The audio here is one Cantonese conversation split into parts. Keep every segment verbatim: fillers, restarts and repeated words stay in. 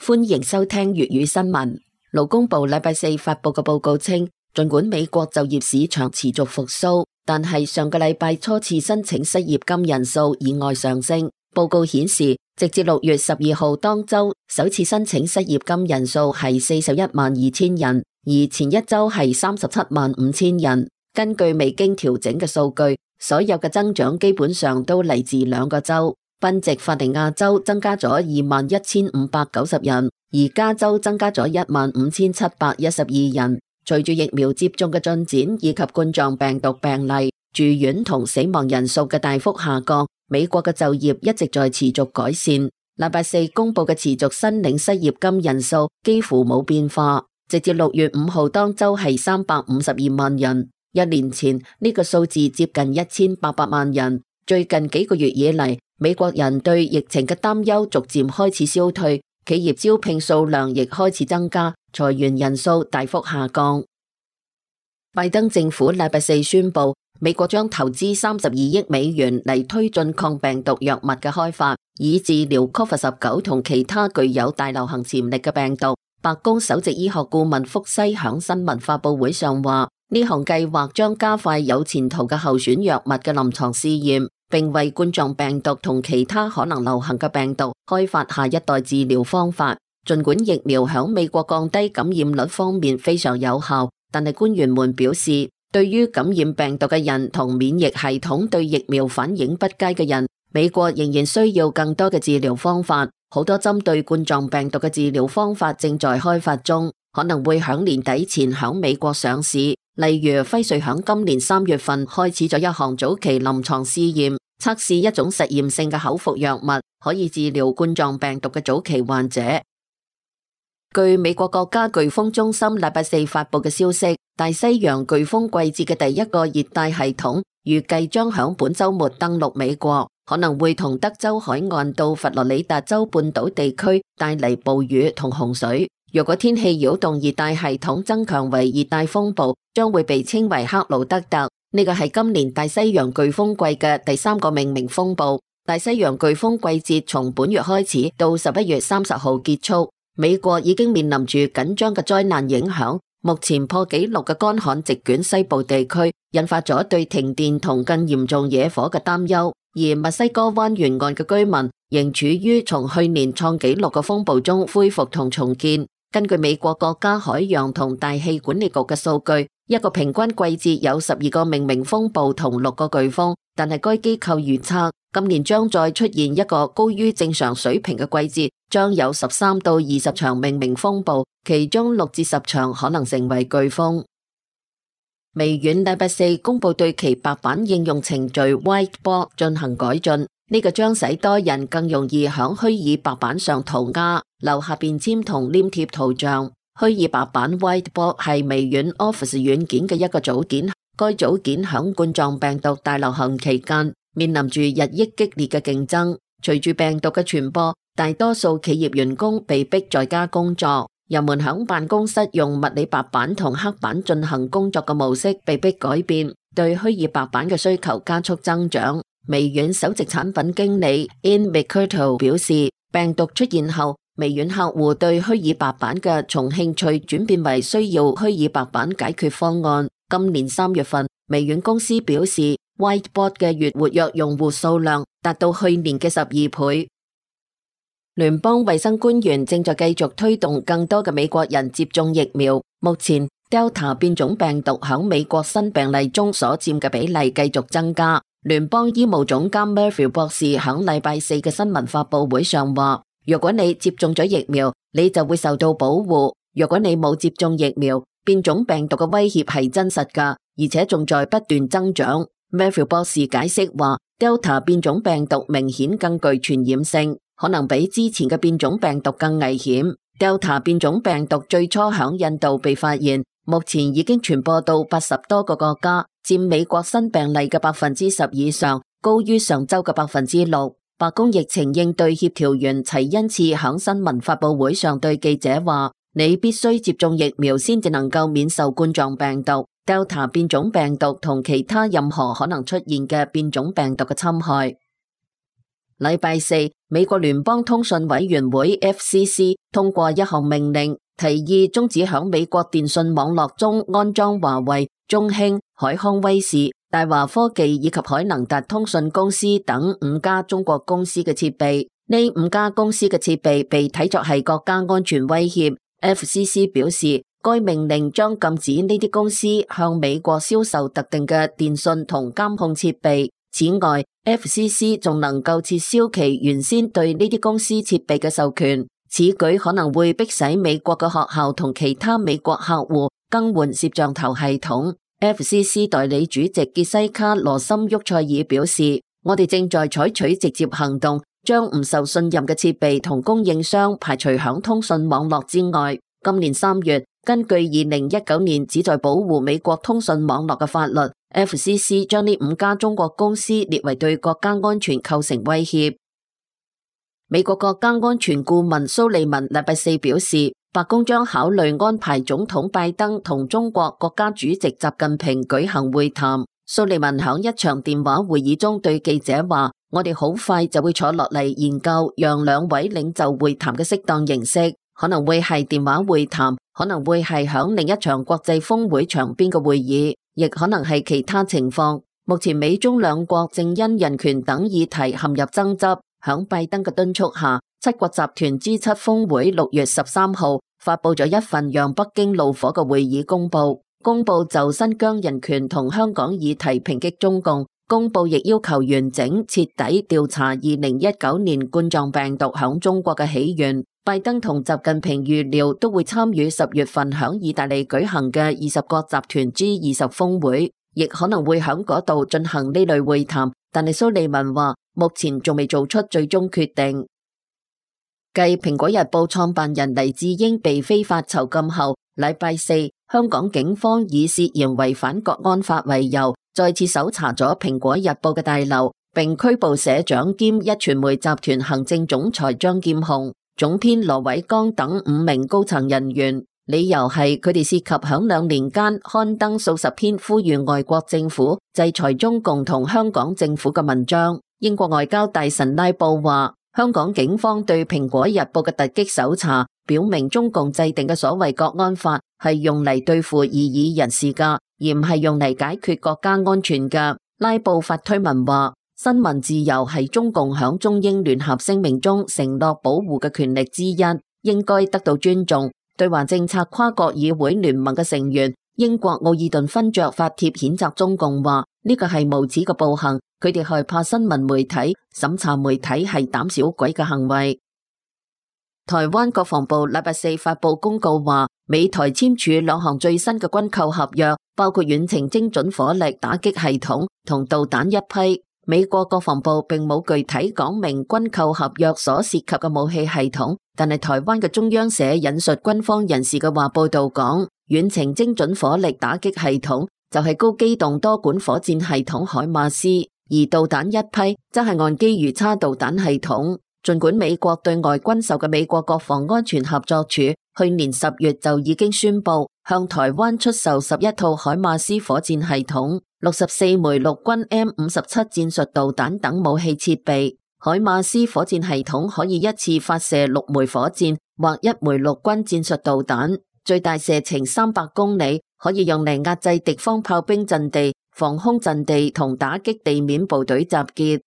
歡迎收聽粵語新聞。勞工部禮拜四發布嘅報告稱，儘管美國就業市場持續復甦，但係上個禮拜初次申請失業金人數意外上升。報告顯示，直至六月十二號當周，首次申請失業金人數係四十一萬二千人，而前一周係三十七萬五千人。根據未經調整嘅數據，所有嘅增長基本上都嚟自兩個州。賓夕法尼亞州增加咗二萬一千五百九十人，而加州增加咗一萬五千七百一十二人。隨住疫苗接種嘅進展以及冠狀病毒病例、住院同死亡人數嘅大幅下降，美國嘅就業一直在持續改善。禮拜四公布嘅持續申領失業金人數幾乎冇變化，直至六月五號當周係三百五十二萬人。一年前呢個數字接近一千八百萬人。最近幾個月以嚟，美國人對疫情嘅擔憂逐漸開始消退，企業招聘數量亦開始增加，裁員人數大幅下降。拜登政府禮拜四宣布，美國將投資三十二億美元嚟推進抗病毒藥物嘅開發，以治療 Covid 十九 同其他具有大流行潛力嘅病毒。白宮首席醫學顧問福西響新聞發佈會上話，呢項計劃將加快有前途嘅候選藥物嘅臨床試驗，並為冠狀病毒同其他可能流行嘅病毒開發下一代治療方法。儘管疫苗響美國降低感染率方面非常有效，但係官員們表示，對於感染病毒嘅人同免疫系統對疫苗反應不佳嘅人，美國仍然需要更多嘅治療方法。好多針對冠狀病毒嘅治療方法正在開發中，可能會響年底前響美國上市。例如輝瑞響今年三月份開始咗一項早期臨床試驗，測試一種實驗性嘅口服藥物，可以治療冠狀病毒嘅早期患者。據美國國家颶風中心禮拜四發佈嘅消息，大西洋颶風季節嘅第一個熱帶系統預計將響本週末登陸美國，可能會同德州海岸到佛羅里達州半島地區帶嚟暴雨同洪水。若果天氣擾動熱帶系統增強為熱帶風暴，將會被稱為克魯德特。呢個係今年大西洋颶風季嘅第三個命名風暴。大西洋颶風季節從本月開始到十一月三十號結束。美國已經面臨住緊張嘅災難影響，目前破紀錄嘅乾旱席捲西部地區，引發咗對停電同更嚴重野火嘅擔憂。而墨西哥灣沿岸嘅居民仍處於從去年創紀錄嘅風暴中恢復同重建。根據美國國家海洋同大氣管理局嘅數據，一個平均季節有十二個命名風暴同六個颶風，但係該機構預測今年將再出現一個高於正常水平嘅季節，將有十三到二十場命名風暴，其中六至十場可能成為颶風。微軟禮拜四公布對其白板應用程序 Whiteboard 進行改進，呢個將使多人更容易響虛擬白板上塗鴉、留下便簽同黏貼圖像。虛擬白板 Whiteboard 係微軟 Office 軟件嘅一個組件，該組件響冠狀病毒大流行期間面臨住日益激烈嘅競爭。隨住病毒嘅傳播，大多數企業員工被迫在家工作，人們響辦公室用物理白板同黑板進行工作嘅模式被迫改變，對虛擬白板嘅需求加速增長。微軟首席產品經理 Ian McCurtle 表示，病毒出現後，微軟客戶對虛擬白板嘅從興趣轉變為需要虛擬白板解決方案。今年三月份，微軟公司表示 Whiteboard 嘅月活躍用戶數量達到去年嘅十二倍。聯邦衛生官員正在繼續推動更多嘅美國人接種疫苗。目前 Delta 變種病毒響美國新病例中所佔嘅比例繼續增加。聯邦醫務總監 Murphy 博士響禮拜四嘅新聞發佈會上話，如果你接種咗疫苗，你就會受到保護。如果你冇接種疫苗，變種病毒嘅威脅係真實㗎，而且仲在不斷增長。Murphy 博士解釋話 ，Delta 變種病毒明顯更具傳染性，可能比之前嘅變種病毒更危險。Delta 變種病毒最初響印度被發現，目前已經傳播到八十多個國家，佔美國新病例嘅百分之十以上，高於上周嘅百分之六。白宮疫情應對協調員齊恩次響新聞發佈會上對記者話，你必須接種疫苗先至能夠免受冠狀病毒、Delta 變種病毒同其他任何可能出現嘅變種病毒嘅侵害。禮拜四，美國聯邦通訊委員會 F C C 通過一項命令，提議終止響美國電信網絡中安裝華為、中興、海康威視、大華科技以及海能達通訊公司等五家中國公司嘅設備。呢五家公司嘅設備被睇作係國家安全威脅。F C C 表示，該命令將禁止呢啲公司向美國銷售特定嘅電信同監控設備。此外， F C C 仲能夠撤銷其原先對呢啲公司設備嘅授權。此舉可能會迫使美國嘅學校同其他美國客戶更換攝像頭系統。F C C 代理主席傑西卡羅森沃塞爾表示，我哋正在採取直接行動，將唔受信任嘅設備同供應商排除響通訊網絡之外。今年三月，根據二零一九年旨在保護美國通訊網絡嘅法律， F C C 將呢五家中國公司列為對國家安全構成威脅。美國國家安全顧問蘇利文禮拜四表示，白宮將考慮安排總統拜登同中國國家主席習近平舉行會談。蘇利文響一場電話會議中對記者話，我哋好快就會坐落嚟研究讓兩位領袖會談嘅適當形式，可能會係電話會談，可能會係響另一場國際峰會場邊嘅會議，亦可能係其他情況。目前美中兩國正因人權等議題陷入爭執。響拜登嘅敦促下，七國集團 G 七峰會六月十三號發佈咗一份讓北京怒火嘅會議公報，公報就新疆人權同香港議題抨擊中共，公報亦要求完整徹底調查二零一九年冠狀病毒響中國嘅起源。拜登同習近平預料都會參與十月份響意大利舉行嘅二十國集團 G 二十峰會，亦可能會響嗰度進行呢類會談。但係蘇利文話，目前仲未做出最終決定。繼蘋果日報創辦人黎智英被非法囚禁後，禮拜四香港警方以涉嫌違反國安法為由，再次搜查咗蘋果日報嘅大樓，並拘捕社長兼壹傳媒集團行政總裁張劍虹、總編羅偉剛等五名高層人員。理由係佢哋涉及響兩年間刊登數十篇呼籲外國政府制裁中共同香港政府嘅文章。英國外交大臣拉布話，香港警方對蘋果日報嘅突擊搜查，表明中共制定嘅所謂國安法係用嚟對付異議人士噶，而唔係用嚟解決國家安全噶。拉布發推文話，新聞自由係中共響中英聯合聲明中承諾保護嘅權力之一，應該得到尊重。對華政策跨國議會聯盟嘅成員英國奧爾頓勳爵發帖譴責中共話，呢個係無恥嘅暴行，佢哋害怕新聞媒體審查媒體係膽小鬼嘅行為。台灣國防部禮拜四發布公告話，美台簽署兩項最新嘅軍購合約，包括遠程精準火力打擊系統同導彈一批。美國國防部並冇具體講明軍購合約所涉及嘅武器系統，但係台灣嘅中央社引述軍方人士嘅話報道講，遠程精準火力打擊系統就係高機動多管火箭系統海馬斯，而導彈一批則係岸基魚叉導彈系統。儘管美國對外軍售嘅美國國防安全合作處去年十月就已經宣布向台灣出售十一套海馬斯火箭系統、六十四枚陸軍 M 五十七戰術導彈等武器設備。海馬斯火箭系統可以一次發射六枚火箭或一枚陸軍戰術導彈，最大射程三百公里，可以用嚟壓制敵方炮兵陣地、防空陣地同打擊地面部隊集結。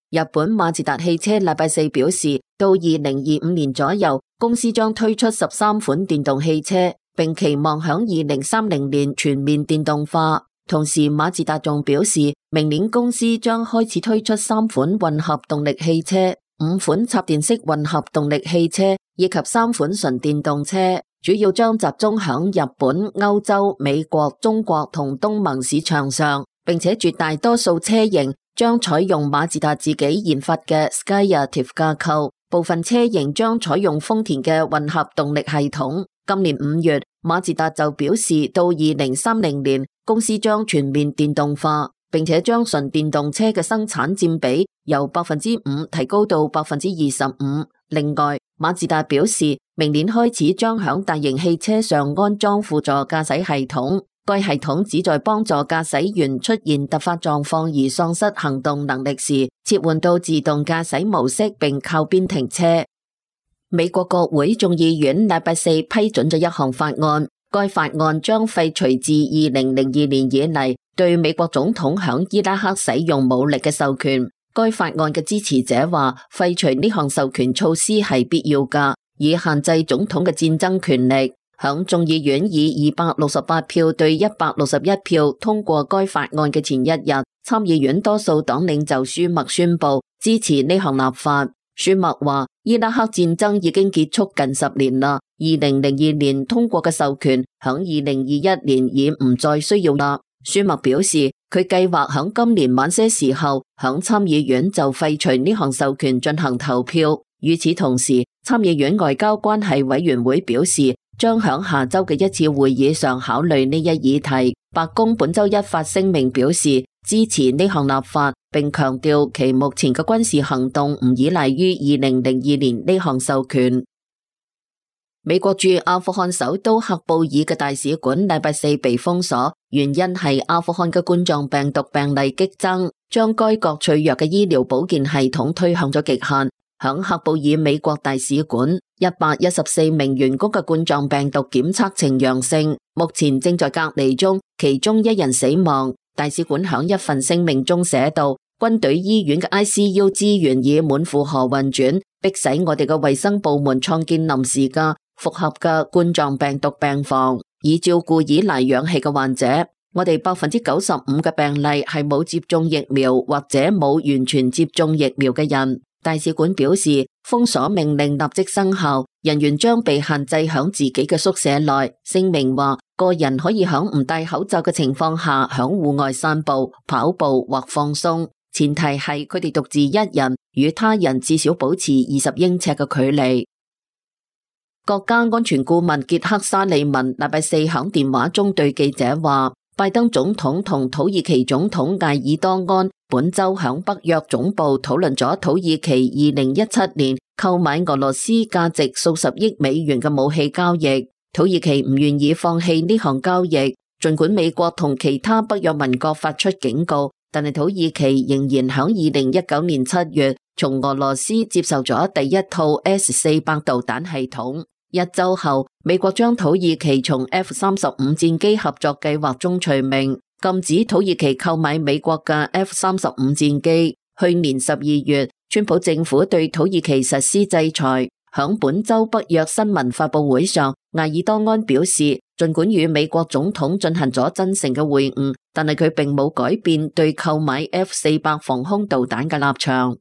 日本馬自達汽車禮拜四表示，到二零二五年左右，公司將推出十三款電動汽車，並期望響二零三零年全面電動化。同時，馬自達仲表示，明年公司將開始推出三款混合動力汽車、五款插電式混合動力汽車以及三款純電動車，主要將集中響日本、歐洲、美國、中國同東盟市場上，並且絕大多數車型將採用馬自達自己研發嘅 Skyactiv 架構，部分車型將採用豐田嘅混合動力系統。今年五月，馬自達就表示，到二零三零年，公司將全面電動化，並且將純電動車嘅生產佔比由百分之五提高到百分之二十五。另外，馬自達表示，明年開始將響大型汽車上安裝輔助駕駛系統。該系統旨在幫助駕駛員出現突發狀況而喪失行動能力時，切換到自動駕駛模式並靠邊停車。美國國會眾議院禮拜四批准咗一項法案，該法案將廢除自二零零二年以嚟對美國總統響伊拉克使用武力嘅授權。該法案嘅支持者話，廢除呢項授權措施係必要㗎，以限制總統嘅戰爭權力。響眾議院以二百六十八票對一百六十一票通過該法案嘅前一日，參議院多數黨領袖舒默宣布支持呢項立法。舒默話，伊拉克戰爭已經結束近十年啦，二零零二年通過嘅授權響二零二一年已唔再需要啦。舒默表示，佢計劃響今年晚些時候響參議院就廢除呢項授權進行投票。與此同時，參議院外交關係委員會表示，將響下周嘅一次會議上考慮呢一議題。白宮本周一發聲明表示支持呢項立法，並強調其目前嘅軍事行動唔依賴於二零零二年呢項授權。美國駐阿富汗首都喀布爾嘅大使館禮拜四被封鎖，原因係阿富汗嘅冠狀病毒病例激增，將該國脆弱嘅醫療保健系統推向咗極限。響喀布爾美國大使館，一百一十四名員工嘅冠狀病毒檢測呈陽性，目前正在隔離中，其中一人死亡。大使館響一份聲明中寫道，軍隊醫院嘅 I C U 資源已滿負荷運轉，迫使我哋嘅衛生部門創建臨時嘅複合嘅冠狀病毒病房，以照顧依賴氧氣嘅患者。我哋百分之九十五嘅病例係冇接種疫苗或者冇完全接種疫苗嘅人。大使館表示，封鎖命令立即生效，人員將被限制響自己嘅宿舍內。聲明話，個人可以響唔戴口罩嘅情況下響戶外散步、跑步或放鬆，前提係佢哋獨自一人，與他人至少保持二十英尺嘅距離。國家安全顧問傑克沙利文禮拜四響電話中對記者話，拜登總統同土耳其總統艾爾多安本周響北約總部討論咗土耳其二零一七年購買俄羅斯價值數十億美元嘅武器交易。土耳其唔願意放棄呢項交易，盡管美國同其他北約盟國發出警告，但係土耳其仍然響二零一九年七月從俄羅斯接受咗第一套 S 四百導彈系統。一周後，美國將土耳其從 F 三十五戰機合作計劃中除名，禁止土耳其購買美國嘅 F 三十五戰機。去年十二月，川普政府對土耳其實施制裁。響本周北約新聞發佈會上，艾爾多安表示，儘管與美國總統進行咗真誠嘅會晤，但係佢並冇改變對購買 F 四百防空導彈嘅立場。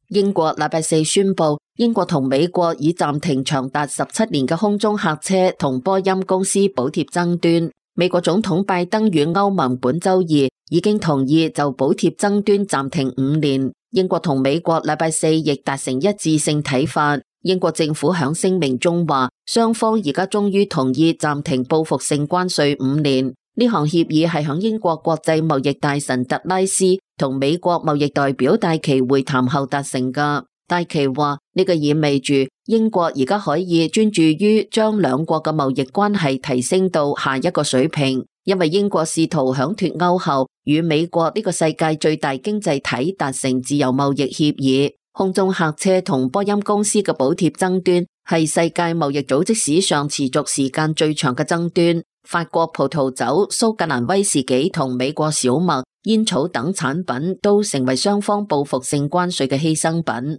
英國禮拜四宣布，英國同美國已暫停長達十七年嘅空中客車同波音公司補貼爭端。美國總統拜登與歐盟本周二已經同意就補貼爭端暫停五年。英國同美國禮拜四亦達成一致性睇法。英國政府響聲明中話，雙方而家終於同意暫停報復性關稅五年。呢項協議係響英國國際貿易大臣特拉斯同美國貿易代表戴琪會談後達成㗎。戴琪話，呢個意味住英國而家可以專注於將兩國嘅貿易關係提升到下一個水平，因為英國試圖響脫歐後與美國呢個世界最大經濟體達成自由貿易協議。空中客車同波音公司嘅補貼爭端係世界貿易組織史上持續時間最長嘅爭端。法國葡萄酒、蘇格蘭威士忌同美國小麥、煙草等產品都成為雙方報復性關稅嘅犧牲品。